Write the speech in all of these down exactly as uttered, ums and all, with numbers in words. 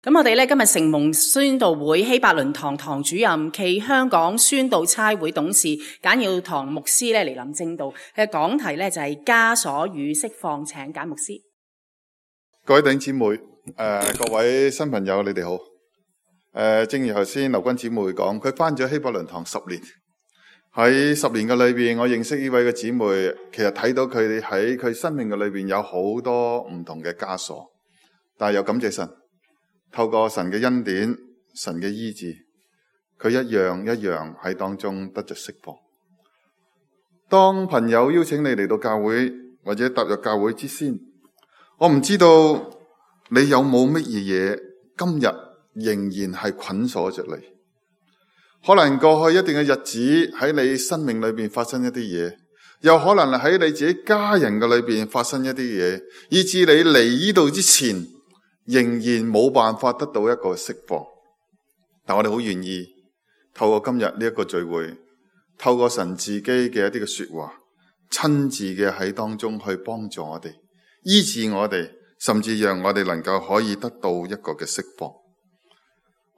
咁我哋咧今日城門宣道會希伯倫堂堂主任暨香港宣道差會董事簡耀堂牧師咧嚟臨正道，嘅講題咧就係枷鎖與釋放，請簡牧師。各位弟兄姊妹，誒、呃，各位新朋友，你哋好。誒、呃，正如頭先劉君姊妹講，佢返咗希伯倫堂十年，喺十年嘅裏邊，我認識呢位嘅姊妹，其實睇到佢哋喺佢生命嘅裏邊有好多唔同嘅枷鎖，但係又感謝神。透過神嘅恩典、神嘅醫治，佢一樣一樣喺當中得着釋放。當朋友邀請你嚟到教會或者踏入教會之先，我唔知道你有冇乜嘢嘢今日仍然係捆鎖着你。可能過去一段嘅日子喺你生命裏邊發生一啲嘢，又可能喺你自己家人嘅裏邊發生一啲嘢，以致你嚟呢度之前仍然冇辦法得到一個釋放。但我哋好願意透過今日呢一個聚會，透過神自己嘅一啲嘅說話，親自嘅喺當中去幫助我哋，醫治我哋，甚至讓我哋能夠可以得到一個嘅釋放。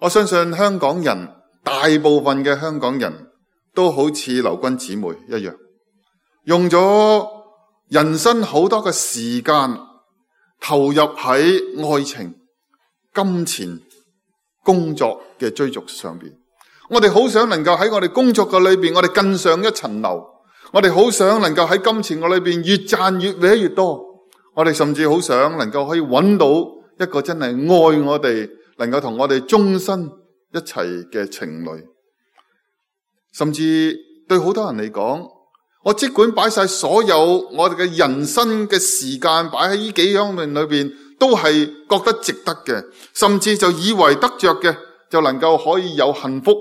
我相信香港人，大部分嘅香港人都好似劉君姊妹一樣，用咗人生好多嘅時間投入喺愛情、金錢、工作嘅追逐上邊。我哋好想能夠喺我哋工作嘅裏邊，我哋更上一層樓。我哋好想能夠喺金錢嘅裏邊越賺越搲越多。我哋甚至好想能夠可以揾到一個真係愛我哋，能夠同我哋終身一齊嘅情侶。甚至對好多人嚟講，我即管擺晒所有我哋嘅人生嘅時間擺喺呢幾樣面裏邊，都係覺得值得嘅，甚至就以為得着嘅就能夠可以有幸福、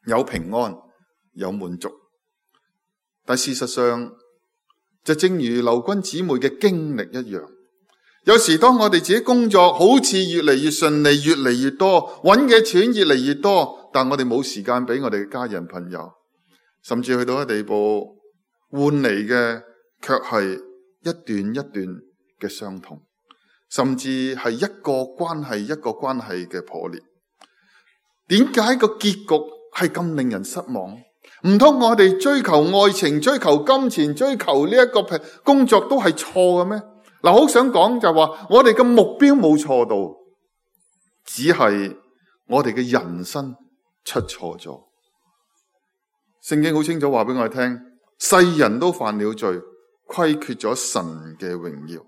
有平安、有滿足。但事實上就正如劉君姊妹嘅經歷一樣，有時當我哋自己工作好似越嚟越順利、越嚟越多，揾嘅錢越嚟越多，但我哋冇時間俾我哋嘅家人朋友，甚至去到一個地步，換嚟嘅卻係一段一段嘅傷痛，甚至係一個關係一個關係嘅破裂。點解個結局係咁令人失望？唔通我哋追求愛情、追求金錢、追求呢一個工作都係錯嘅咩？嗱，好想講就話我哋嘅目標冇錯到，只係我哋嘅人生出錯咗。聖經好清楚話俾我哋聽，世人都犯了罪，虧缺咗神嘅榮耀。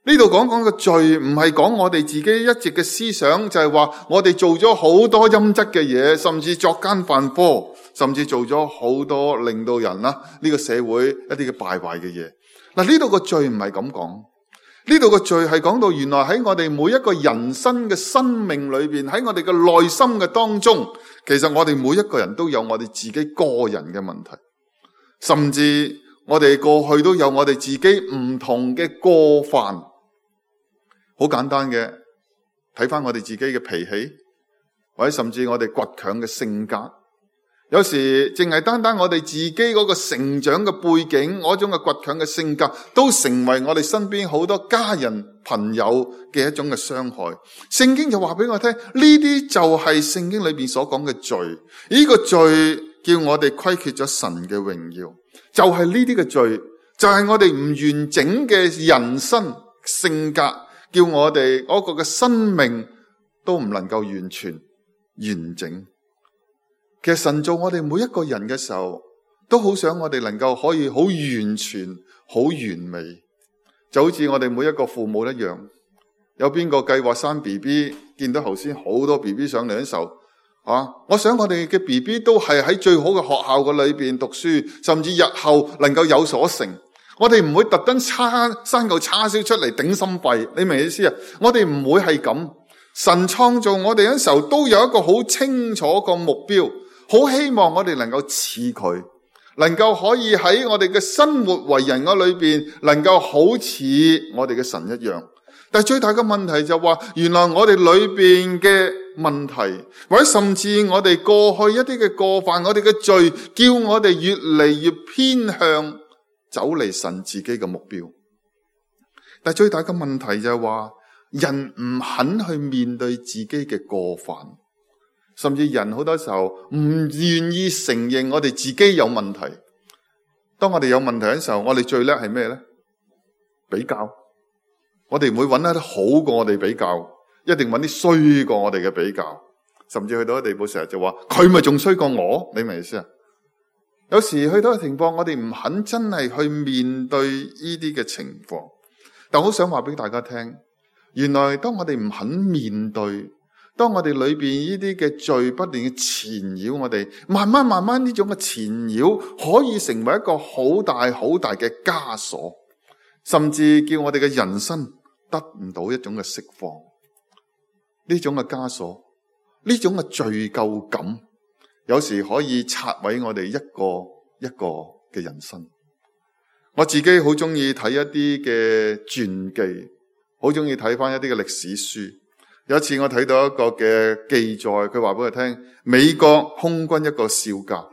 呢度講講嘅罪，唔係講我哋自己一直嘅思想，就係話我哋做咗好多陰質嘅嘢，甚至作奸犯科，甚至做咗好多令到人啦呢個社會一啲嘅敗壞嘅嘢。嗱，呢度個罪唔係咁講，呢度個罪係講到原來喺我哋每一個人生嘅生命裏邊，喺我哋嘅內心嘅當中，其實我哋每一個人都有我哋自己個人嘅問題，甚至我哋過去都有我哋自己唔同嘅過犯。好簡單嘅，睇翻我哋自己嘅脾氣，或者甚至我哋倔強嘅性格。有時淨係單單我哋自己嗰個成長嘅背景，嗰種嘅倔強嘅性格，都成為我哋身邊好多家人朋友嘅一種嘅傷害。聖經就話俾我聽，呢啲就係聖經裏邊所講嘅罪。呢個罪叫我哋虧缺咗神嘅榮耀，就係呢啲嘅罪，就係我哋唔完整嘅人生性格，叫我哋嗰個嘅生命都唔能夠完全完整。其實神做我哋每一個人嘅時候，都好想我哋能夠可以好完全、好完美，就好似我哋每一個父母一樣。有邊個計劃生 B B， 見到頭先好多 B B 上嚟嘅時候，啊，我想我哋嘅 B B 都係喺最好嘅學校嘅裏邊讀書，甚至日後能夠有所成。我哋唔會特登叉生嚿叉燒出嚟頂心肺，你明意思啊？我哋唔會係咁。神創造我哋嘅時候，都有一個好清楚個目標。好希望我哋能夠似佢，能夠可以喺我哋嘅生活為人嘅裏邊，能夠好似我哋嘅神一樣。但係最大嘅問題就話，原來我哋裏邊嘅問題，或者甚至我哋過去一啲嘅過犯，我哋嘅罪，叫我哋越嚟越偏向走離神自己嘅目標。但係最大嘅問題就係話，人唔肯去面對自己嘅過犯，甚至人好多時候唔願意承認我哋自己有問題。當我哋有問題嘅時候，我哋最叻係咩呢？比較。我哋唔會揾一啲好過我哋比較，一定揾啲衰過我哋嘅比較。甚至去到一個地步，成日就話佢咪仲衰過我？你明唔明意思啊？有時去到一個情況，我哋唔肯真係去面對呢啲嘅情況。但我好想話俾大家聽，原來當我哋唔肯面對，當我哋裏邊呢啲嘅罪不斷嘅纏繞我哋，慢慢慢慢呢種嘅纏繞可以成為一個好大好大嘅枷鎖，甚至叫我哋嘅人生得唔到一種嘅釋放。呢種嘅枷鎖，呢種嘅罪疚感，有時可以拆毀我哋一個一個嘅人生。我自己好中意睇一啲嘅傳記，好中意睇翻一啲嘅歷史書。有一次我睇到一個嘅記載，佢話俾我聽，美國空軍一個少將，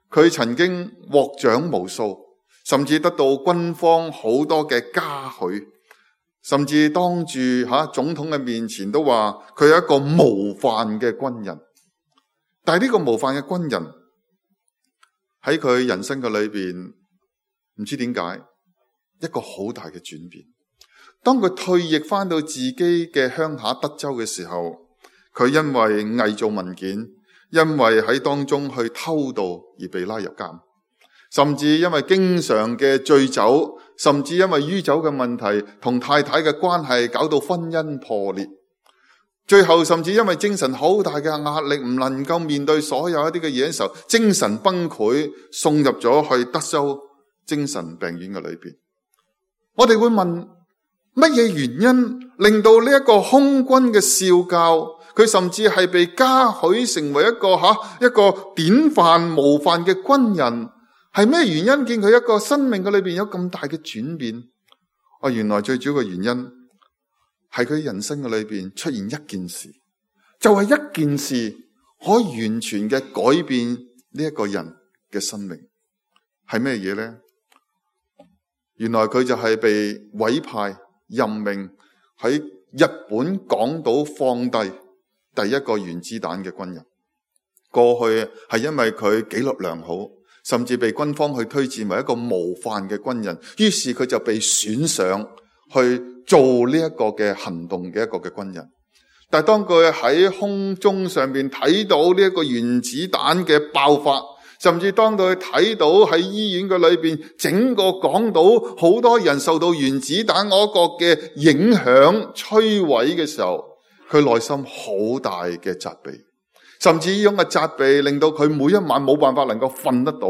佢曾經獲獎無數，甚至得到軍方好多嘅嘉許，甚至當住吓總統嘅面前都話佢係一個模範嘅軍人。但係呢個模範嘅軍人喺佢人生嘅裏邊，唔知點解一個好大嘅轉變。當佢退役翻到自己嘅鄉下德州嘅時候，佢因為偽造文件，因為喺當中去偷盜而被拉入監，甚至因為經常嘅醉酒，甚至因為酗酒嘅問題同太太嘅關係搞到婚姻破裂，最後甚至因為精神好大嘅壓力，唔能夠面對所有一啲嘅嘢嘅時候，精神崩潰，送入咗去德州精神病院嘅裏邊。我哋會問，乜嘢原因令到呢一個空軍嘅少校，佢甚至係被嘉許成為一個吓一個典範模範嘅軍人？係咩原因見佢一個生命嘅裏邊有咁大嘅轉變？哦，原來最主要嘅原因係佢人生嘅裏邊出現一件事，就係一件事可以完全嘅改變呢一個人嘅生命。係咩嘢呢？原來佢就係被委派任命喺日本廣島放低第一個原子彈嘅軍人。過去係因為佢紀律良好，甚至被軍方去推薦為一個模範嘅軍人，於是佢就被選上去做呢一個嘅行動嘅一個嘅軍人。但係當佢喺空中上面睇到呢一個原子彈嘅爆發，甚至當佢睇到喺醫院嘅裏邊整個港島好多人受到原子彈嗰個嘅影響摧毀嘅時候，佢內心好大嘅責備，甚至呢種嘅責備令到佢每一晚冇辦法能夠瞓得到，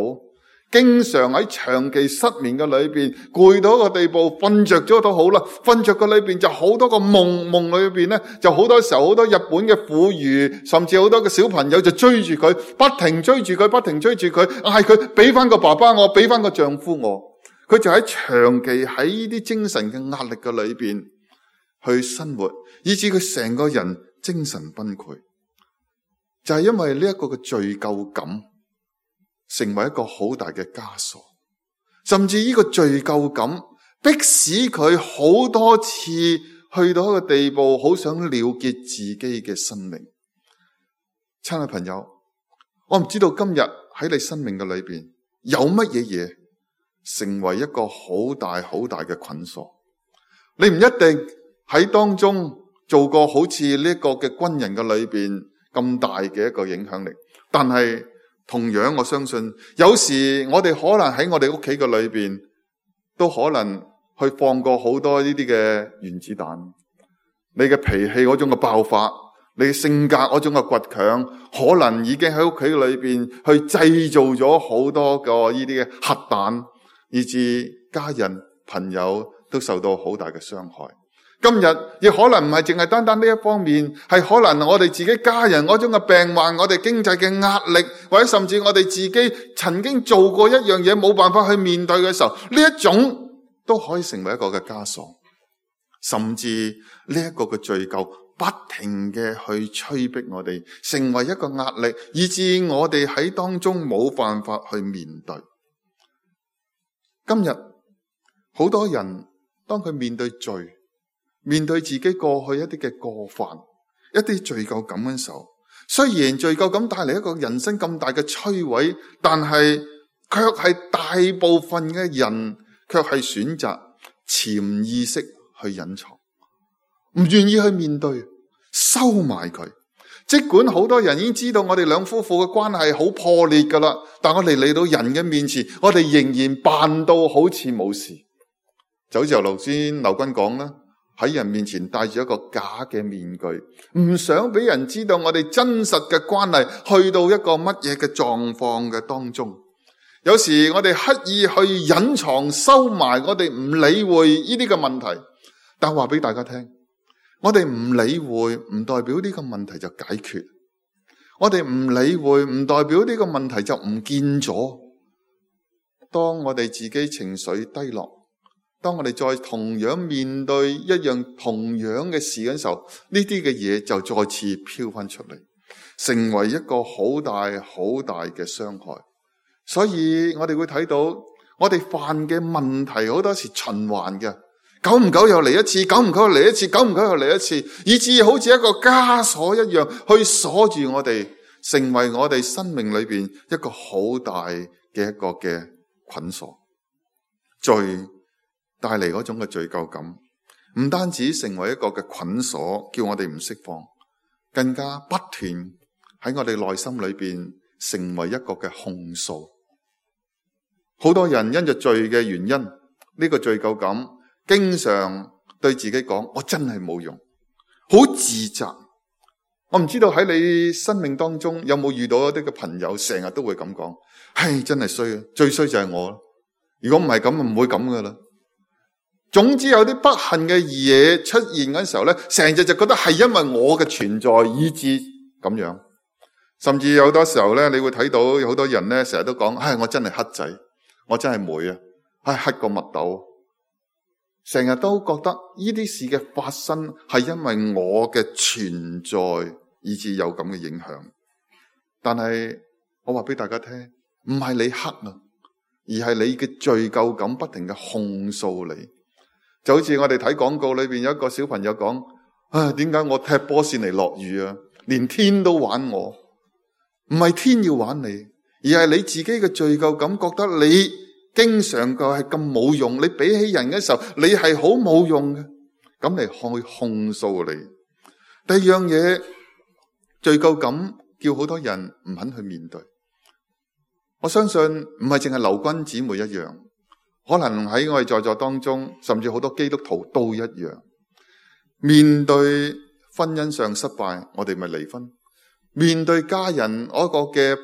經常喺長期失眠嘅裏邊，攰到一個地步，瞓着咗都好啦，瞓着嘅裏邊就好多個夢，夢裏邊咧就好多時候好多日本嘅婦孺，甚至好多嘅小朋友就追住佢，不停追住佢，不停追住佢，嗌佢俾翻個爸爸我，俾翻個丈夫我。佢就喺長期喺呢啲精神嘅壓力嘅裏邊去生活，以致佢成個人精神崩潰，就係因為呢一個嘅罪疚感成為一個好大嘅枷鎖，甚至呢個罪疚感迫使佢好多次去到一個地步，好想了結自己嘅生命。親愛朋友，我唔知道今日喺你生命嘅裏邊有乜嘢嘢成為一個好大好大嘅捆鎖。你唔一定喺當中做過好似呢一個嘅軍人嘅裏邊咁大嘅一個影響力，但係同樣我相信，有時我哋可能喺我哋屋企嘅裏邊，都可能去放過好多呢啲嘅原子彈。你嘅脾氣嗰種嘅爆發，你嘅性格嗰種嘅倔強，可能已經喺屋企裏邊去製造咗好多個呢啲嘅核彈，以致家人朋友都受到好大嘅傷害。今日亦可能唔係淨係單單呢一方面，係可能我哋自己家人嗰種嘅病患，我哋經濟嘅壓力，或者甚至我哋自己曾經做過一樣嘢冇辦法去面對嘅時候，呢一種都可以成為一個嘅枷鎖，甚至呢一個嘅罪疚不停嘅去催逼我哋，成為一個壓力，以致我哋喺當中冇辦法去面對。今日好多人當佢面對罪，面對自己過去一啲嘅過犯，一啲罪疚感嘅時候，雖然罪疚感帶嚟一個人生咁大嘅摧毀，但係卻係大部分嘅人卻係選擇潛意識去隱藏，唔願意去面對，收埋佢。儘管好多人已經知道我哋兩夫婦嘅關係好破裂噶啦，但我哋嚟到人嘅面前，我哋仍然扮到好似冇事。就好似由頭先劉君講啦，喺人面前戴住一個假嘅面具，唔想俾人知道我哋真實嘅關係去到一個乜嘢嘅狀況嘅當中。有時我哋刻意去隱藏收埋，我哋唔理會呢啲嘅問題，但話俾大家聽，我哋唔理會唔代表呢個問題就解決，我哋唔理會唔代表呢個問題就唔見咗。當我哋自己情緒低落，當我哋再同樣面對一樣同樣嘅事嘅時候，呢啲嘅嘢就再次飄翻出嚟，成為一個好大好大嘅傷害。所以我哋會睇到我哋犯嘅問題好多時循環嘅，久唔久又嚟一次，久唔久又嚟一次，久唔久又嚟一次，以至好似一個枷鎖一樣去鎖住我哋，成為我哋生命裏邊一個好大嘅一個嘅捆鎖。罪帶嚟嗰種嘅罪疚感，唔單止成為一個嘅捆鎖，叫我哋唔釋放，更加不斷喺我哋內心裏邊成為一個嘅控訴。好多人因着罪嘅原因，呢個罪疚感經常對自己講，我真係冇用，好自責。我唔知道喺你生命當中有冇遇到一啲嘅朋友成日都會咁講，唉，真係衰啊，最衰就係我，如果唔係咁唔會咁噶啦。總之有啲不幸嘅嘢出現嘅時候咧，成日就覺得係因為我嘅存在以致咁樣。甚至有好多時候咧，你會睇到有好多人咧，成日都講，唉，我真係黑仔，我真係霉啊，唉，黑過蜜豆。成日都覺得呢啲事嘅發生係因為我嘅存在以致有咁嘅影響。但係我話俾大家聽，唔係你黑啊，而係你嘅罪疚感不停嘅控訴你。就好似我哋睇廣告裏邊有一個小朋友講，啊，點解我踢波先嚟落雨啊？連天都玩我。唔係天要玩你，而係你自己嘅罪疚感，覺得你經常個係咁冇用，你比起人嘅時候，你係好冇用嘅，咁嚟去控訴你。第二樣嘢，罪疚感叫好多人唔肯去面對。我相信唔係淨係劉君姊妹一樣，可能喺我哋在座當中，甚至好多基督徒都一樣。面對婚姻上失敗，我哋咪離婚。面對家人嗰個嘅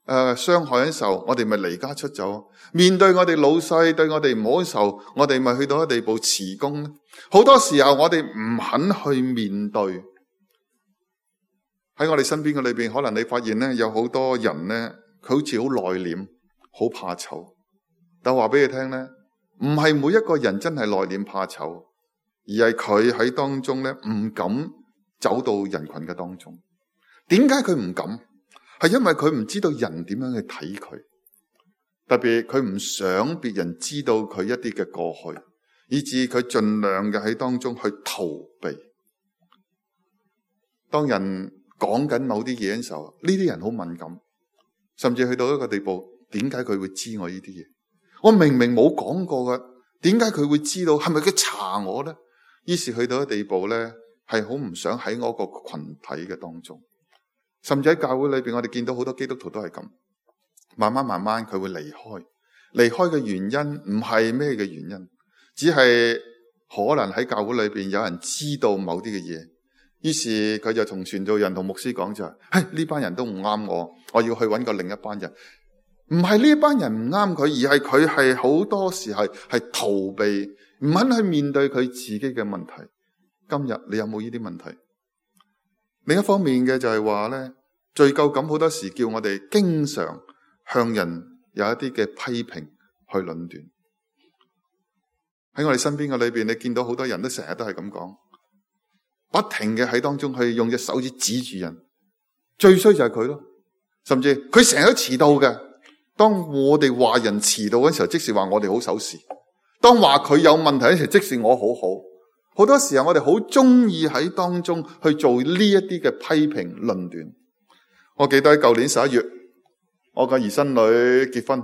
誒傷害嘅時候，我哋咪離家出走。面對我哋老細對我哋唔好嘅時候，我哋咪去到一個地步辭工。好多時候我哋唔肯去面對。喺我哋身邊嘅裏邊，可能你發現咧，有好多人咧，佢好似好內斂，好怕醜。但話俾你聽咧，唔係每一個人真係內斂怕醜，而係佢喺當中咧唔敢走到人群嘅當中。點解佢唔敢？係因為佢唔知道人點樣去睇佢，特別佢唔想別人知道佢一啲嘅過去，以致佢盡量嘅喺當中去逃避。當人講緊某啲嘢嘅時候，呢啲人好敏感，甚至去到一個地步，點解佢會知我呢啲嘢？我明明冇講過㗎，點解佢會知道？係咪佢查我咧？於是去到一個地步咧，係好唔想喺我個群體嘅當中。甚至喺教會裏邊，我哋見到好多基督徒都係咁，慢慢慢慢佢會離開。離開嘅原因唔係咩嘅原因，只係可能喺教會裏邊有人知道某啲嘅嘢，於是佢就同傳道人同牧師講就係：嘿，呢班人都唔啱我，我要去揾個另一班人。唔係呢班人唔啱佢，而係佢係好多時係係逃避，唔肯去面對佢自己嘅問題。今日你有冇呢啲問題？另一方面嘅就係話咧，罪疚感好多時叫我哋經常向人有一啲嘅批評去論斷。喺我哋身邊嘅裏邊，你見到好多人都成日都係咁講，不停嘅喺當中去用隻手指指住人。最衰就係佢咯，甚至佢成日都遲到嘅。當我哋話人遲到嘅時候，即是話我哋好守時；當話佢有問題嘅時候，即是我好好。好多時候我哋好中意喺當中去做呢一啲嘅批評論斷。我記得喺舊年十一月，我個兒孫女結婚，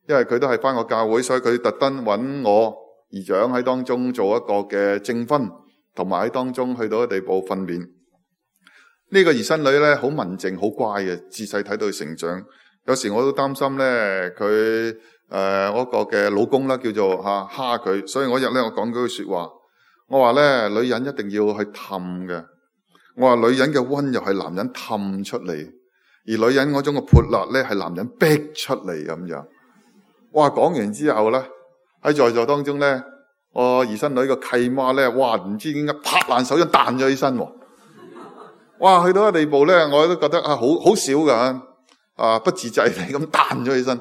因為佢都係返個教會，所以佢特登揾我姨丈喺當中做一個嘅證婚，同埋喺當中去到一地步訓練。呢個兒孫女咧好文靜好乖嘅，自細睇到佢成長。有時我都擔心咧佢誒嗰個嘅老公啦叫做吓蝦佢，所以我日咧我講嗰句說話，我話咧女人一定要去氹嘅。我話女人嘅溫柔係男人氹出嚟，而女人嗰種嘅潑辣咧係男人逼出嚟咁樣。哇！講完之後咧，喺在座當中咧，我兒孫女個契媽咧，哇！唔知點解拍爛手掌彈咗起身。哇！去到一個地步咧，我都覺得啊，好好少噶啊，不自制地咁彈咗起身。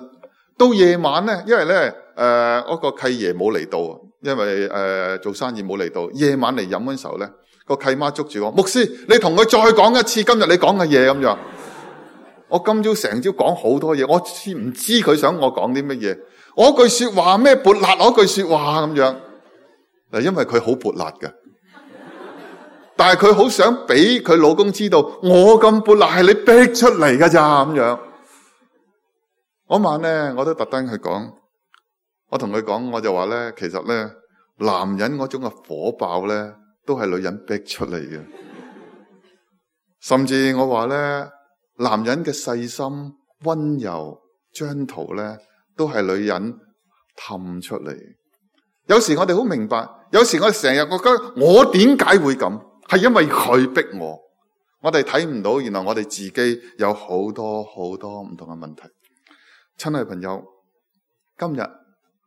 到夜晚咧，因為咧誒嗰個契爺冇嚟到，因為誒、呃、做生意冇嚟到，夜晚嚟飲嗰時候咧。個契媽捉住我，牧師，你同佢再講一次今日你講嘅嘢咁樣。我今朝成朝講好多嘢，我知唔知佢想我講啲乜嘢？我句說話咩潑辣？我句說話咁樣嗱，因為佢好潑辣嘅，但係佢好想俾佢老公知道，我咁潑辣係你逼出嚟噶咋咁樣。嗰晚咧，我都特登去講，我同佢講，我就話咧，其實咧，男人嗰種嘅火爆咧。都係女人逼出嚟嘅，甚至我話咧，男人嘅細心、溫柔、張圖咧，都係女人氹出嚟。有時我哋好明白，有時我哋成日覺得我點解會咁，係因為佢逼我。我哋睇唔到，原來我哋自己有好多好多唔同嘅問題。親愛朋友，今日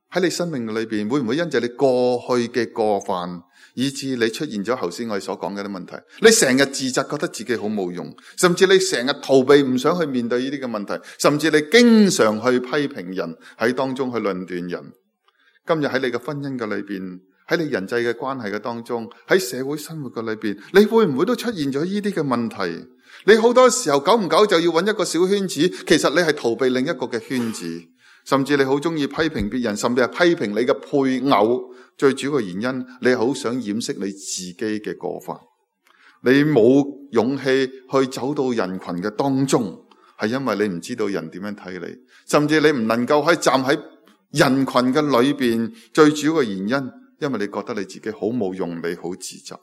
喺你生命裏邊，會唔會因着你過去嘅過犯，以致你出現咗頭先我哋所講嘅啲問題？你成日自責，覺得自己好冇用，甚至你成日逃避，唔想去面對呢啲嘅問題，甚至你經常去批評人，喺當中去論斷人。今日喺你嘅婚姻嘅裏邊，喺你人際嘅關係嘅當中，喺社會生活嘅裏邊，你會唔會都出現咗呢啲嘅問題？你好多時候久唔久就要揾一個小圈子，其實你係逃避另一個嘅圈子。甚至你好中意批評別人，甚至係批評你嘅配偶。最主要嘅原因，你好想掩飾你自己嘅過犯，你冇勇氣去走到人群嘅當中，係因為你唔知道人點樣睇你，甚至你唔能夠可以站喺人群嘅裏邊。最主要嘅原因，因為你覺得你自己好冇用，你好自責，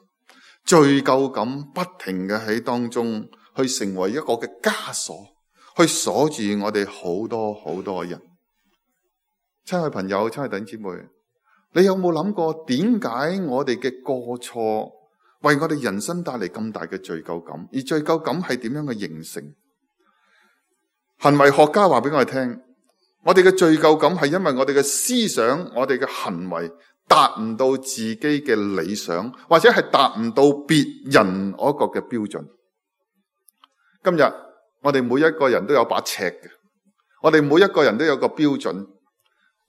罪疚感不停嘅喺當中去成為一個嘅枷鎖，去鎖住我哋好多好多人。親愛朋友，親愛弟兄姊妹，你有冇諗過點解我哋嘅過錯為我哋人生帶嚟咁大嘅罪疚感？而罪疚感係點樣嘅形成？行為學家話俾我哋聽，我哋嘅罪疚感係因為我哋嘅思想、我哋嘅行為達唔到自己嘅理想，或者係達唔到別人嗰個嘅標準。今日我哋每一個人都有把尺嘅，我哋每一個人都有個標準。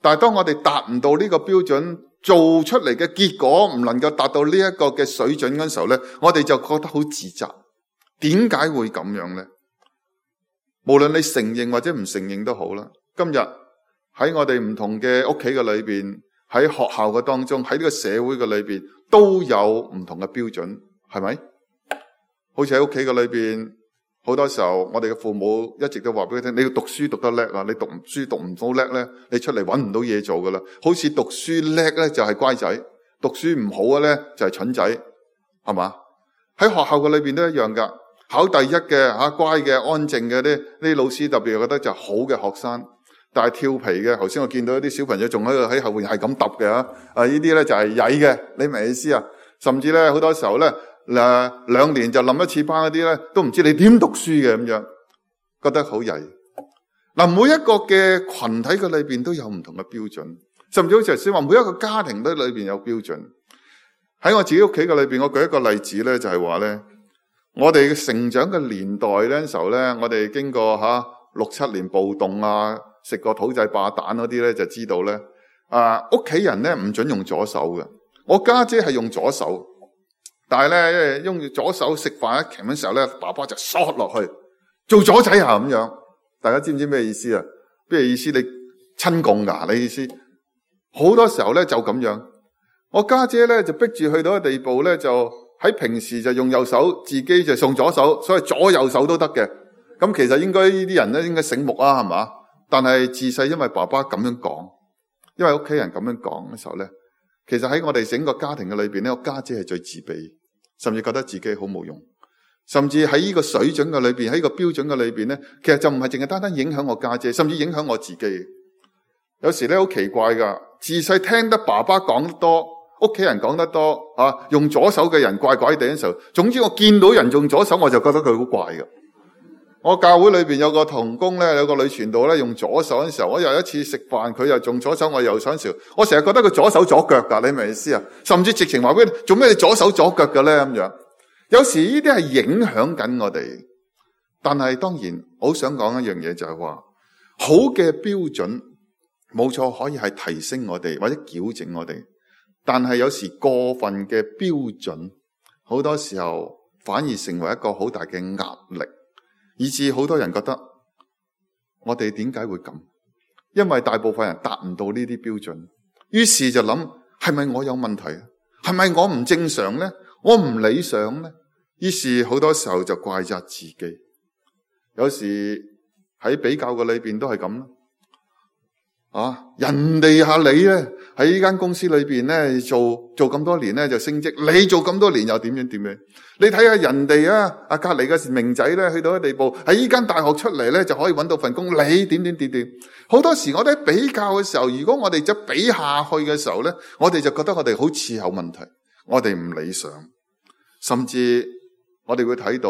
但係當我哋達唔到呢個標準，做出嚟嘅結果唔能夠達到呢一個嘅水準嗰時候咧，我哋就覺得好自責。點解會咁樣咧？無論你承認或者唔承認都好啦。今日喺我哋唔同嘅屋企嘅裏邊，喺學校嘅當中，喺呢個社會嘅裏邊，都有唔同嘅標準，係咪？好似喺屋企嘅裏邊。好多時候，我哋嘅父母一直都話俾佢聽，你要讀書讀得叻啊！你讀書讀唔到叻咧，你出嚟搵唔到嘢做噶啦。好似讀書叻咧就係乖仔，讀書唔好嘅咧就係蠢仔，係嘛？喺學校嘅裏邊都一樣噶。考第一嘅吓乖嘅安靜嘅啲啲老師特別覺得就好嘅學生，但係調皮嘅，頭先我見到一啲小朋友仲喺度喺後邊係咁揼嘅吓，啊呢啲咧就係曳嘅，你明意思啊？甚至咧好多時候咧。嗱，兩年就冧一次班嗰啲咧，都唔知你點讀書嘅咁樣，覺得好曳。嗱，每一個嘅群體嘅裏邊都有唔同嘅標準，甚至好似頭先話，每一個家庭都裏邊有標準。喺我自己屋企嘅裏邊，我舉一個例子咧，就係話咧，我哋嘅成長嘅年代咧時候咧，我哋經過吓六七年暴動啊，食過土製炸彈嗰啲咧，就知道咧，啊屋企人咧唔准用左手嘅。我家姐係用左手。但係咧，用左手食飯一鉗嘅時候咧，爸爸就嗦落去做左仔啊咁樣。大家知唔知咩意思啊？咩意思？你親共噶？你意思？好多時候咧就咁樣。我家姐咧就逼住去到個地步咧，就喺平時就用右手，自己就送左手，所以左右手都得嘅。咁其實應該呢啲人咧應該醒目啊，係嘛？但係自細因為爸爸咁樣講，因為屋企人咁樣講嘅時候咧，其實喺我哋整個家庭嘅裏邊咧，我家姐係最自卑，甚至覺得自己好冇用，甚至喺呢個水準嘅裏邊，喺呢個標準嘅裏邊咧，其實就唔係淨係單單影響我家姐，甚至影響我自己。有時咧好奇怪噶，自細聽得爸爸講得多，屋企人講得多啊，用左手嘅人怪怪地嘅時候，總之我見到人用左手，我就覺得佢好怪噶。我教會裏邊有個同工咧，有個女傳道咧用左手嘅時候，我有一次食飯，佢又用左手，我右手嘅時候，我成日覺得佢左手左腳噶，你明唔明意思啊？甚至直情話俾你，做咩你左手左腳嘅咧咁樣？有時呢啲係影響緊我哋，但係當然，我好想講一樣嘢就係話，好嘅標準冇錯，可以係提升我哋或者矯正我哋，但係有時過分嘅標準，好多時候反而成為一個好大嘅壓力。以致好多人覺得我哋點解會咁？因為大部分人達唔到呢啲標準，於是就諗係咪我有問題？係咪我唔正常呢？我唔理想呢？於是好多時候就怪責自己。有時喺比較嘅裏邊都係咁啦。啊！人哋吓你咧喺呢間公司裏邊咧做做咁多年咧就升職，你做咁多年又點樣點樣？你睇下人哋啊，啊隔籬嘅明仔咧去到一個地步，喺呢間大學出嚟咧就可以搵到份工，你點點點點？好多時我哋喺比較嘅時候，如果我哋就比下去嘅時候咧，我哋就覺得我哋好似有問題，我哋唔理想，甚至我哋會睇到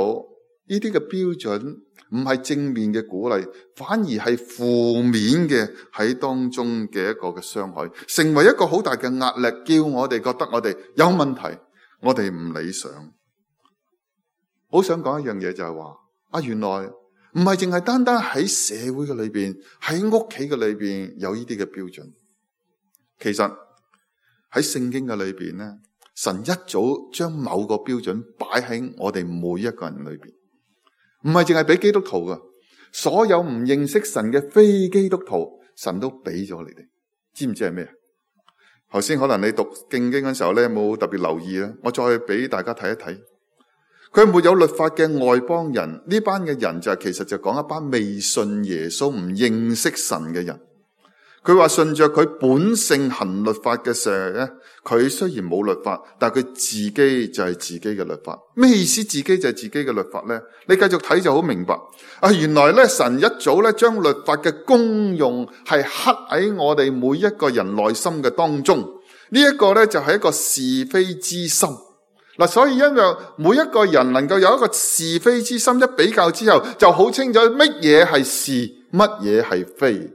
呢啲嘅標準。唔係正面嘅鼓勵，反而係負面嘅喺當中嘅一個嘅傷害，成為一個好大嘅壓力，叫我哋覺得我哋有問題，我哋唔理想。好想講一樣嘢就係話，啊原來唔係淨係單單喺社會嘅裏邊，喺屋企嘅裏邊有呢啲嘅標準。其實喺聖經嘅裏邊咧，神一早將某個標準擺喺我哋每一個人裏邊。唔係淨係俾基督徒噶，所有唔認識神嘅非基督徒，神都俾咗你哋。知唔知係咩？頭先可能你讀聖經嘅時候咧，冇特別留意啦。我再俾大家睇一睇，佢沒有律法嘅外邦人，呢班嘅人就係其實就講一班未信耶穌、唔認識神嘅人。佢話順着佢本性行律法嘅時候咧，佢雖然冇律法，但係佢自己就係自己嘅律法。咩意思？自己就係自己嘅律法咧？你繼續睇就好明白。啊，原來咧神一早咧將律法嘅功用係刻喺我哋每一個人內心嘅當中。呢一個咧就係一個是非之心。嗱，所以因為每一個人能夠有一個是非之心，一比較之後就好清楚乜嘢係是，乜嘢係非。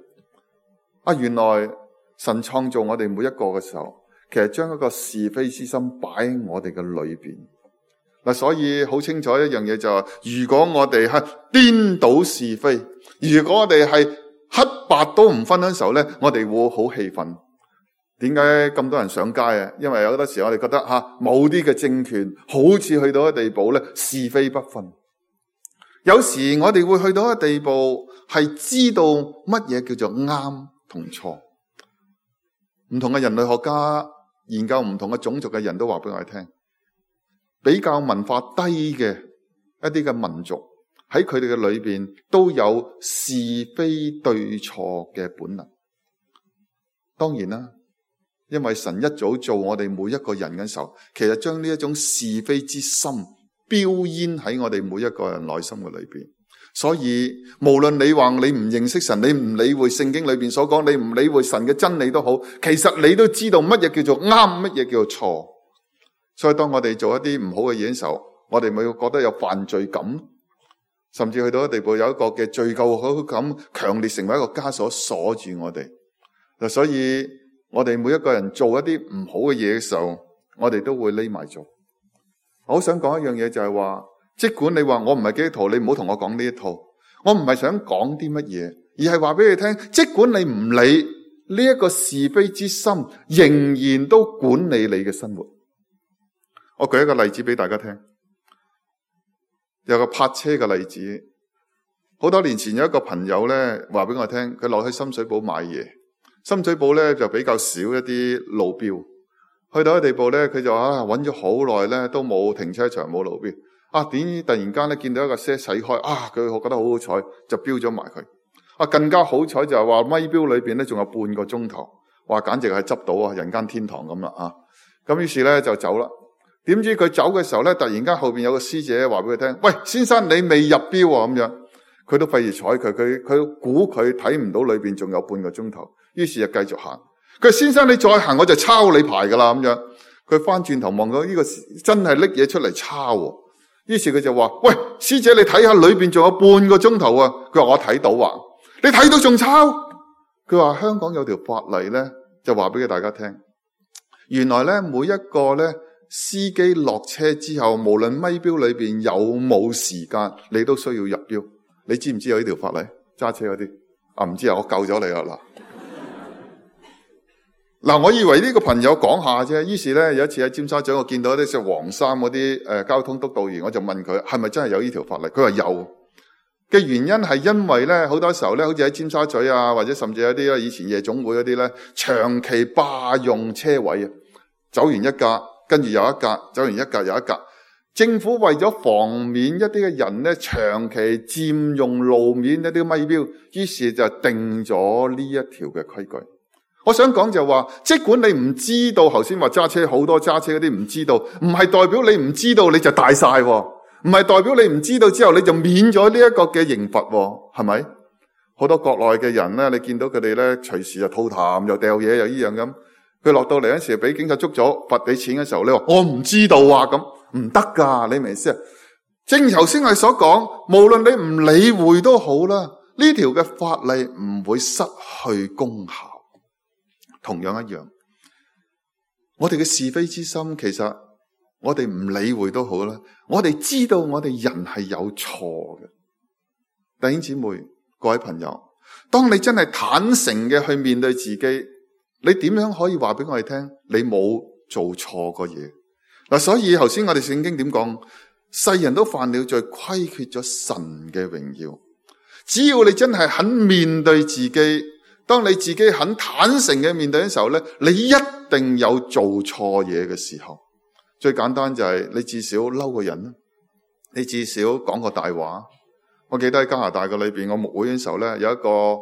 啊！原來神創造我哋每一個嘅時候，其實將一個是非之心擺喺我哋嘅裏邊。嗱，所以好清楚一樣嘢就係，如果我哋係顛倒是非，如果我哋係黑白都唔分嘅時候咧，我哋會好氣憤。點解咁多人上街啊？因為有好多時我哋覺得吓，某啲嘅政權好似去到一個地步咧，是非不分。有時我哋會去到一個地步，係知道乜嘢叫做啱同錯。唔同嘅人類學家研究唔同嘅種族嘅人都話俾我哋聽，比較文化低嘅一啲嘅民族喺佢哋嘅裏邊都有是非對錯嘅本能。當然啦，因為神一早做我哋每一個人嘅時候，其實將呢一種是非之心標煙喺我哋每一個人內心嘅裏邊。所以無論你話你唔認識神，你唔理會聖經裏邊所講，你唔理會神嘅真理都好，其實你都知道乜嘢叫做啱，乜嘢叫做錯。所以當我哋做一啲唔好嘅嘢嘅時候，我哋咪會覺得有犯罪感，甚至去到一個地步有一個嘅罪疚感強烈，成為一個枷鎖鎖住我哋。所以我哋每一個人做一啲唔好嘅嘢嘅時候，我哋都會匿埋做。我好想講一樣嘢就係話，即管你話我唔係基督徒，你唔好同我講呢一套。我唔係想講啲乜嘢，而係話俾你聽，即管你唔理呢一個是非之心，仍然都管理你嘅生活。我舉一個例子俾大家聽，有個泊車嘅例子。好多年前有一個朋友咧話俾我聽，佢落去深水埗買嘢，深水埗咧就比較少一啲路標去到一個地步咧，佢就啊揾咗好耐咧，都冇停車場冇路邊。啊點知突然間咧見到一架車駛開，啊佢覺得好好彩，就飆咗埋佢。啊更加好彩就係話咪錶裏邊咧仲有半個鐘頭，話簡直係執到啊人間天堂咁啦啊！咁於是咧就走啦。點知佢走嘅時候咧，突然間後邊有個師姐話俾佢聽：喂，先生你未入錶啊！咁樣佢都費事睬佢，佢佢估佢睇唔到裏邊仲有半個鐘頭，於是就繼續行。佢話先生你再行我就抄你牌噶啦咁樣。佢翻轉頭望到呢個真係拎嘢出嚟抄喎，於是佢就話：喂，師姐你睇下裏邊仲有半個鐘頭啊！佢話我睇到啊，你睇到仲抄？佢話香港有條法例咧，就話俾大家聽，原來咧每一個咧司機落車之後，無論咪錶裏邊有冇時間，你都需要入錶。你知唔知有呢條法例？揸車嗰啲啊，唔知啊，我救咗你啦嗱。嗱，我以為呢個朋友講下啫，於是咧有一次喺尖沙咀，我見到啲着黃衫嗰啲誒交通督導員，我就問佢係咪真係有呢條法例？佢話有嘅原因係因為咧好多時候咧，好似喺尖沙咀啊，或者甚至有啲以前夜總會嗰啲咧，長期霸用車位啊，走完一格，跟住又一格，走完一格又一格。政府為咗防免一啲嘅人咧長期佔用路面一啲咪錶，於是就定咗呢一條嘅規矩。我想講就話，即管你唔知道，頭先話揸車好多揸車嗰啲唔知道，唔係代表你唔知道你就大晒，唔係代表你唔知道之後你就免咗呢一個嘅刑罰，係咪？好多國內嘅人咧，你見到佢哋咧隨時就吐痰又掉嘢又依樣咁，佢落到嚟嗰時俾警察捉咗罰你錢嘅時候，你話我唔知道啊，咁唔得噶，你明唔明先？正如頭先我所講，無論你唔理會都好啦，呢條嘅法例唔會失去功效。同樣一樣，我哋嘅是非之心，其實我哋唔理會都好啦。我哋知道我哋人係有錯嘅。弟兄姊妹、各位朋友，當你真係坦誠嘅去面對自己，你點樣可以話俾我哋聽你冇做錯過嘢？嗱，所以頭先我哋聖經點講？世人都犯了罪，虧缺咗神嘅榮耀。只要你真係肯面對自己，當你自己很坦誠嘅面對嘅時候咧，你一定有做錯嘢嘅時候。最簡單就係你至少嬲個人啦，你至少講個大話。我記得喺加拿大嘅裏邊，我牧會嘅時候咧，有一個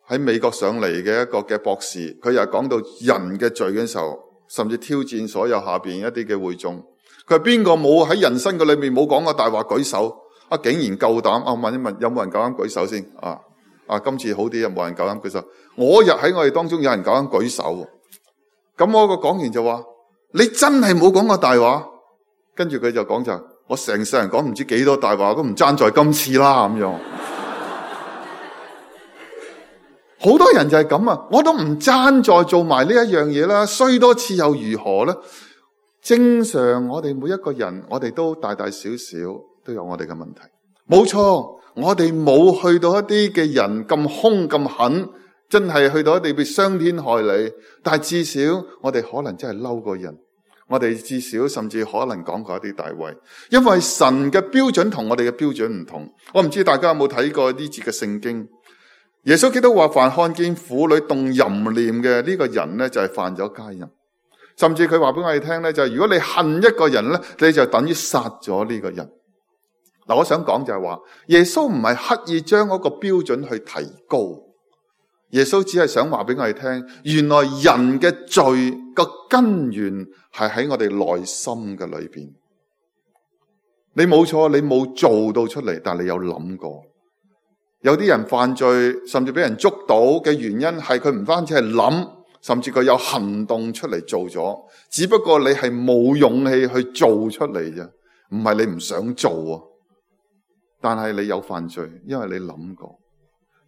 喺美國上嚟嘅一個嘅博士，佢又講到人嘅罪嘅時候，甚至挑戰所有下邊一啲嘅會眾。佢話邊個冇喺人生嘅裏面冇講過大話舉手？啊，竟然夠膽！啊，問一問有冇人夠膽舉手先？啊！啊！今次好啲，有冇人夠膽舉手？我日喺我哋當中有人夠膽舉手，咁我個講員就話：你真係冇講過大話。跟住佢就講就：我成世人講唔知幾多大話，都唔爭在今次啦咁樣。好多人就係咁啊！我都唔爭在做埋呢一樣嘢啦，衰多次又如何呢？正常我哋每一個人，我哋都大大小小都有我哋嘅問題，冇錯。我哋冇去到一啲嘅人咁兇咁狠，真係去到一啲被傷天害理。但係至少我哋可能真係嬲過人，我哋至少甚至可能講過一啲大話。因為神嘅標準同我哋嘅標準唔同。我唔知大家有冇睇過呢節嘅聖經？耶穌基督話：凡看見婦女動淫念嘅呢個人呢，就係犯咗奸淫。甚至佢話俾我哋聽呢，就係如果你恨一個人呢，你就等於殺咗呢個人。嗱，我想講就係話，耶穌唔係刻意將嗰個標準去提高，耶穌只係想話俾我哋聽，原來人嘅罪個根源係喺我哋內心嘅裏邊。你冇錯，你冇做到出嚟，但係你有諗過。有啲人犯罪，甚至俾人捉到嘅原因係佢唔單止係諗，甚至佢有行動出嚟做咗，只不過你係冇勇氣去做出嚟啫，唔係你唔想做啊。但係你有犯罪，因為你諗過。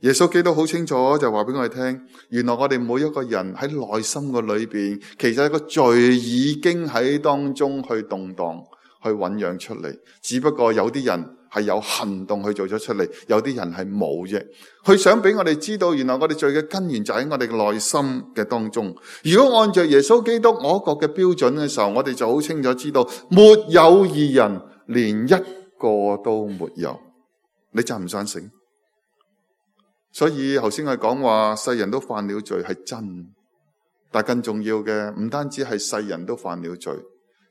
耶穌基督好清楚就話俾我哋聽，原來我哋每一個人喺內心嘅裏邊，其實個罪已經喺當中去動蕩，去醞釀出嚟。只不過有啲人係有行動去做咗出嚟，有啲人係冇啫。佢想俾我哋知道，原來我哋罪嘅根源就喺我哋嘅內心嘅當中。如果按照耶穌基督我國嘅標準嘅時候，我哋就好清楚知道，沒有義人，連一個都沒有。你贊唔贊成？所以頭先我講話世人都犯了罪係真，但更重要嘅唔單止係世人都犯了罪，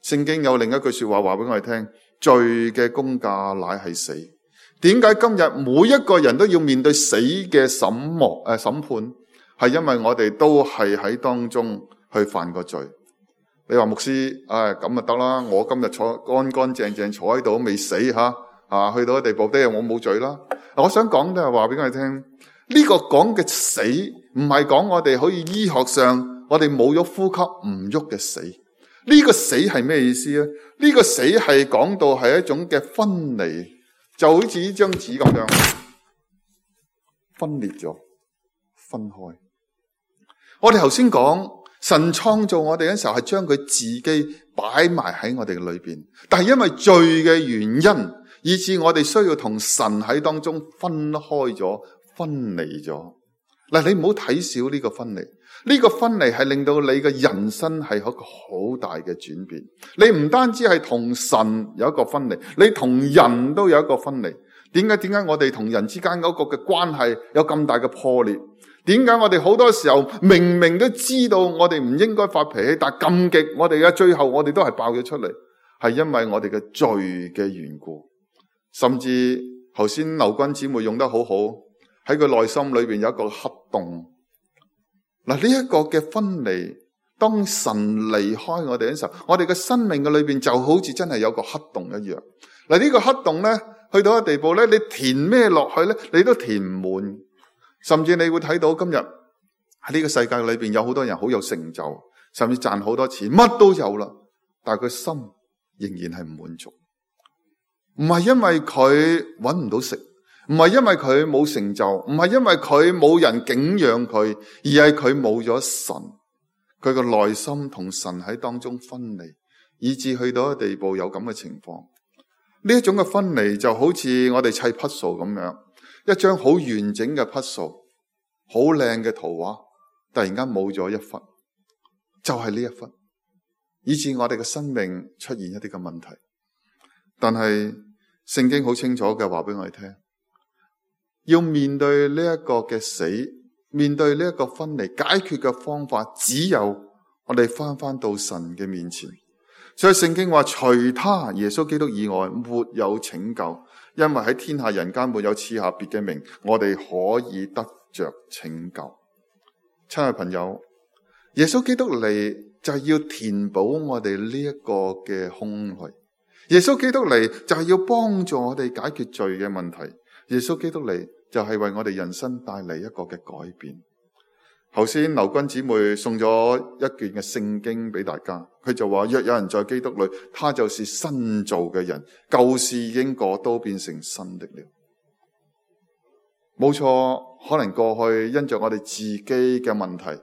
聖經有另一句說話話俾我哋聽，罪嘅工價乃係死。點解今日每一個人都要面對死嘅審幕誒審判？係因為我哋都係喺當中去犯過罪。你話牧師，唉咁就得啦，我今日坐乾乾淨淨坐喺度未死吓，啊去到個地步，啲我冇罪啦。我想講都係話俾我哋聽，呢個講嘅死唔係講我哋可以醫學上我哋冇咗呼吸唔喐嘅死。呢個死係咩意思咧？呢個死係講到係一種嘅分離，就好似呢張紙咁樣分裂咗、分開。我哋頭先講神創造我哋嘅時候係將佢自己擺埋喺我哋嘅裏邊，但係因為罪嘅原因，以致我哋需要同神喺當中分開咗、分離咗。嗱，你唔好睇小呢個分離，呢個分離係令到你嘅人生係一個好大嘅轉變。你唔單止係同神有一個分離，你同人都有一個分離。點解？點解我哋同人之間嗰個嘅關係有咁大嘅破裂？點解我哋好多時候明明都知道我哋唔應該發脾氣，但係咁極我哋嘅最後我哋都係爆咗出嚟，係因為我哋嘅罪嘅緣故。甚至頭先劉君姊妹用得好好，喺佢內心裏邊有一個黑洞。嗱，呢一個嘅分離，當神離開我哋嘅時候，我哋嘅生命嘅裏邊就好似真係有個黑洞一樣。嗱，呢個黑洞咧，去到一個地步咧，你填咩落去咧，你都填唔滿。甚至你會睇到今日喺呢個世界裏邊有好多人好有成就，甚至賺好多錢，乜都有啦，但係佢心仍然係唔滿足。唔係因為佢搵唔到食，唔係因為佢冇成就，唔係因為佢冇人敬仰佢，而係佢冇咗神，佢個內心同神喺當中分離，以致去到一個地步有咁嘅情況。呢一種嘅分離就好似我哋砌 puzzle 咁樣。一張好完整嘅 puzzle， 好靚嘅圖畫，突然間冇咗一忽，就係呢一忽，以致我哋嘅生命出現一啲嘅問題。但係聖經好清楚嘅話俾我哋聽，要面對呢一個嘅死，面對呢一個分離，解決嘅方法只有我哋翻翻到神嘅面前。所以聖經話，除他耶穌基督以外，沒有拯救。因為喺天下人間沒有賜下別嘅名，我哋可以得着拯救。親愛朋友，耶穌基督嚟就係要填補我哋呢一個嘅空虛。耶穌基督嚟就係要幫助我哋解決罪嘅問題。耶穌基督嚟就係為我哋人生帶嚟一個嘅改變。頭先劉君姊妹送咗一卷嘅聖經俾大家，佢就話，若有人在基督裏，他就是新造嘅人，舊事已經過，都變成新的了。冇錯，可能過去因着我哋自己嘅問題，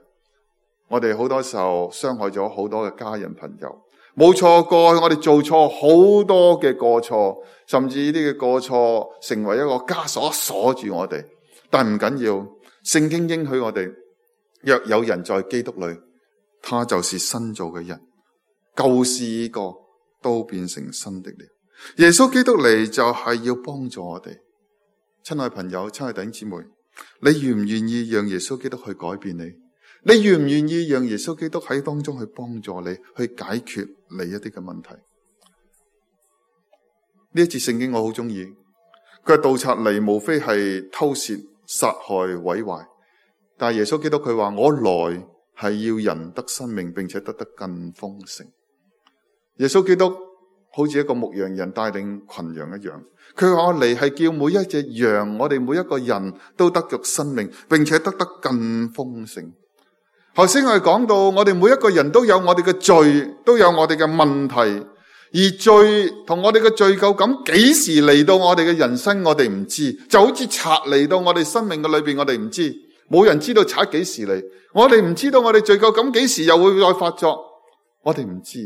我哋好多時候傷害咗好多嘅家人朋友。冇錯，過去我哋做錯好多嘅過錯，甚至呢啲嘅過錯成為一個枷鎖鎖住我哋。但唔緊要，聖經應許我哋，若有人在基督裏，他就是新造嘅人，舊事已過，都變成新的了。耶穌基督嚟就係要幫助我哋。親愛朋友，親愛弟兄姊妹，你願唔願意讓耶穌基督去改變你？你願唔願意讓耶穌基督喺當中去幫助你，去解決你一啲嘅問題？呢一節聖經我好中意，佢話盜賊嚟無非係偷竊、殺害、毀壞。但係耶穌基督佢話，我來係要人得生命，並且得得更豐盛。耶穌基督好似一個牧羊人帶領群羊一樣，佢話我嚟係叫每一隻羊，我哋每一個人都得着生命，並且得得更豐盛。頭先我哋講到，我哋每一個人都有我哋嘅罪，都有我哋嘅問題，而罪同我哋嘅罪疚感幾時嚟到我哋嘅人生，我哋唔知，就好似賊嚟到我哋生命嘅裏邊，我哋唔知。冇人知道賊幾時嚟，我哋唔知道我哋罪疚感幾時又會再發作，我哋唔知。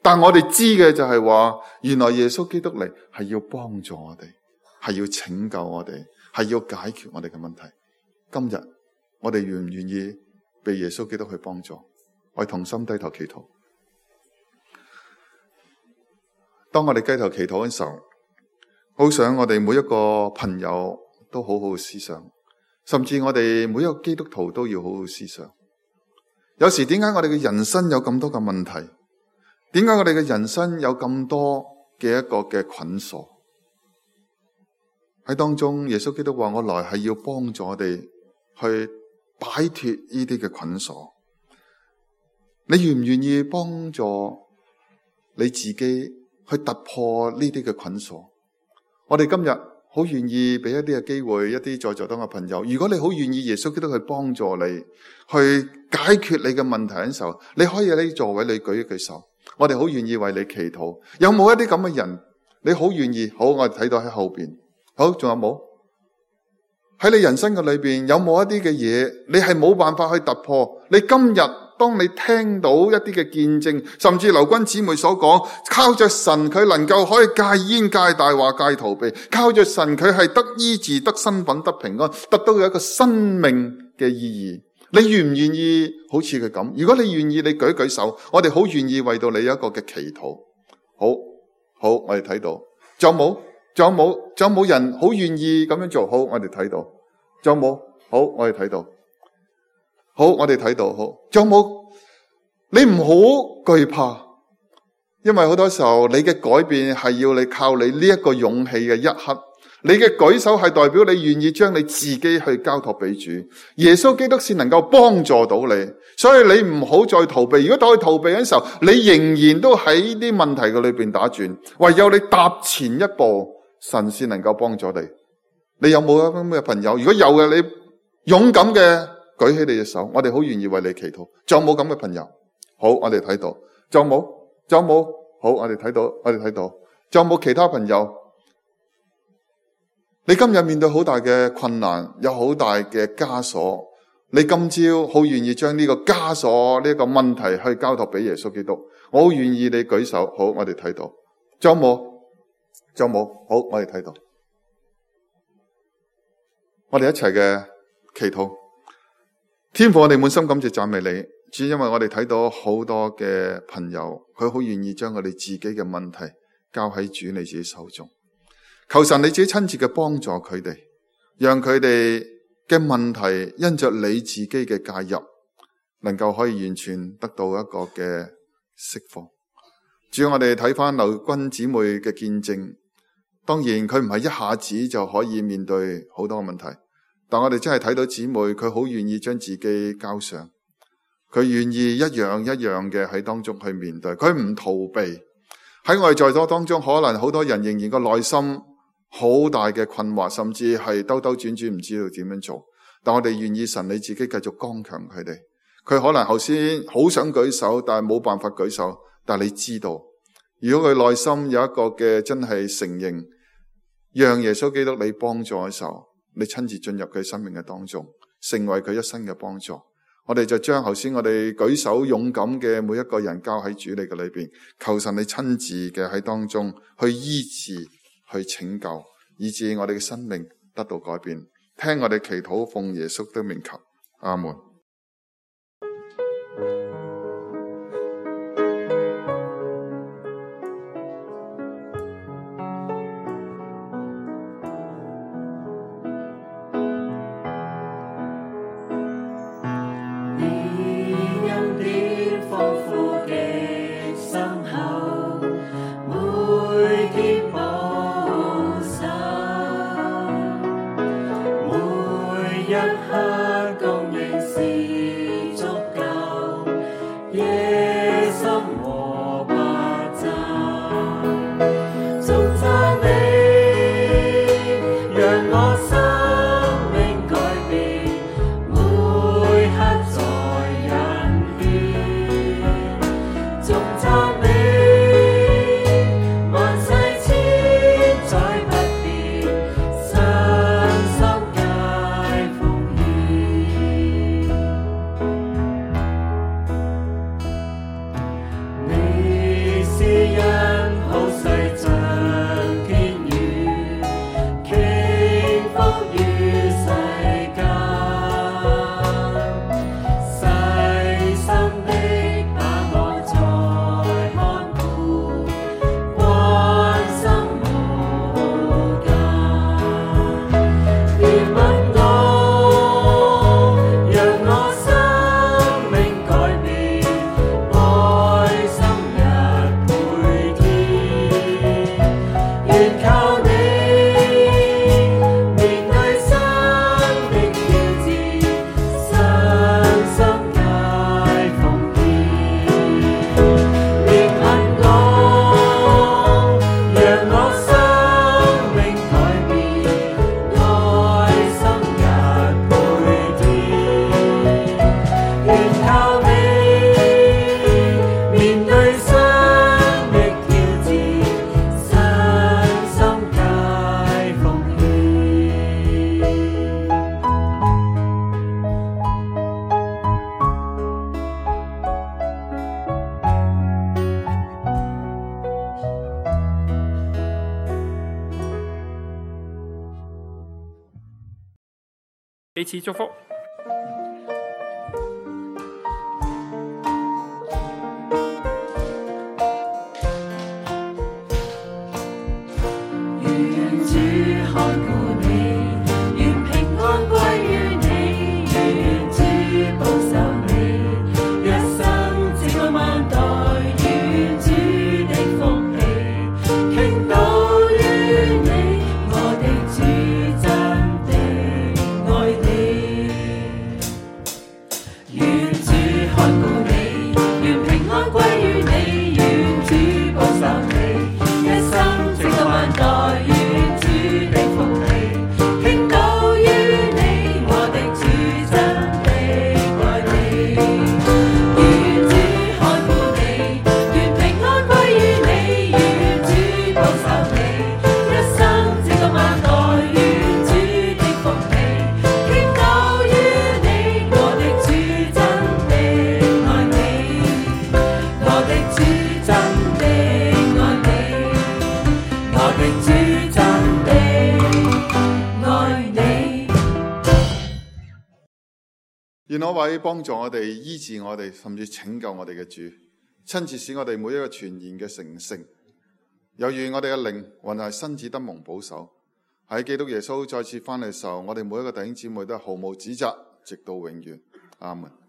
但我哋知嘅就係話，原來耶穌基督嚟係要幫助我哋，係要拯救我哋，係要解決我哋嘅問題。今日我哋願唔願意被耶穌基督去幫助？我哋同心低頭祈禱。當我哋低頭祈禱嘅時候，好想我哋每一個朋友都好好思想。甚至我哋每一個基督徒都要好好思想，有時點解我哋嘅人生有咁多嘅問題？點解我哋嘅人生有咁多嘅一個嘅捆鎖？喺當中，耶穌基督話：我來係要幫助我哋去擺脫呢啲嘅捆鎖。你願唔願意幫助你自己去突破呢啲嘅捆鎖？我哋今日好願意俾一啲嘅機會，一啲在座當嘅朋友。如果你好願意耶穌基督去幫助你，去解決你嘅問題嘅時候，你可以喺座位你舉一舉手。我哋好願意為你祈禱。有冇一啲咁嘅人？你好願意？好，我哋睇到喺後邊。好，仲有冇？喺你人生嘅裏邊，有冇一啲嘅嘢，你係冇辦法去突破？你今日當你聽到一啲嘅見證，甚至劉君姊妹所講，靠着神佢能夠可以戒煙、戒大話、戒逃避，靠着神佢係得醫治、得身份、得平安，得到有一個生命嘅意義。你願唔願意好似佢咁？如果你願意，你舉舉手，我哋好願意為到你有一個嘅祈禱。好，好，我哋睇到，仲有冇？仲有冇？仲有冇人好願意咁樣做？好，我哋睇到。仲有冇？好，我哋睇到。好，我哋睇到。好，仲有冇？你唔好懼怕，因為好多時候你嘅改變係要你靠你呢一個勇氣嘅一刻。你嘅舉手係代表你願意將你自己去交託俾主。耶穌基督先能夠幫助到你，所以你唔好再逃避。如果再逃避嘅時候，你仍然都喺啲問題嘅裏邊打轉。唯有你踏前一步，神先能夠幫助你。你有冇咁嘅朋友？如果有嘅，你勇敢嘅舉起你隻手，我哋好願意為你祈禱。仲有冇咁嘅朋友？好，我哋睇到。仲有冇？仲有冇？好，我哋睇到，我哋睇到。仲有冇其他朋友？你今日面對好大嘅困難，有好大嘅枷鎖，你今朝好願意將呢個枷鎖呢個問題去交託俾耶穌基督。我好願意你舉手。好，我哋睇到。仲有冇？仲有冇？好，我哋睇到。我哋一齊嘅祈禱。天父，我哋滿心感謝讚美你，主，因為我哋睇到好多嘅朋友，佢好願意將我哋自己嘅問題交喺主你自己手中。求神你自己親自嘅幫助佢哋，讓佢哋嘅問題因着你自己嘅介入，能夠可以完全得到一個嘅釋放。主，我哋睇翻劉君姊妹嘅見證，當然佢唔係一下子就可以面對好多嘅問題，但我哋真係睇到姊妹佢好願意將自己交上，佢願意一樣一樣嘅喺當中去面對，佢唔逃避。喺我哋在座當中，可能好多人仍然個內心好大嘅困惑，甚至係兜兜轉轉唔知道點樣做。但我哋願意神你自己繼續剛強佢哋。佢可能頭先好想舉手，但係冇辦法舉手。但係你知道，如果佢內心有一個嘅真係承認，讓耶穌基督你幫助嘅時候，你親自進入佢生命嘅當中，成為佢一生嘅幫助。我哋就將頭先我哋舉手勇敢嘅每一個人交喺主你嘅裏邊，求神你親自嘅喺當中去醫治，去拯救，以致我哋嘅生命得到改變。聽我哋祈禱，奉耶穌的名求，阿門。彼此祝福。願那位幫助我哋、醫治我哋，甚至拯救我哋嘅主，親自使我哋每一個全然嘅成聖。有願我哋嘅靈還係身子得蒙保守，喺基督耶穌再次翻嚟嘅時候，我哋每一個弟兄姊妹都係毫無指責，直到永遠。阿門。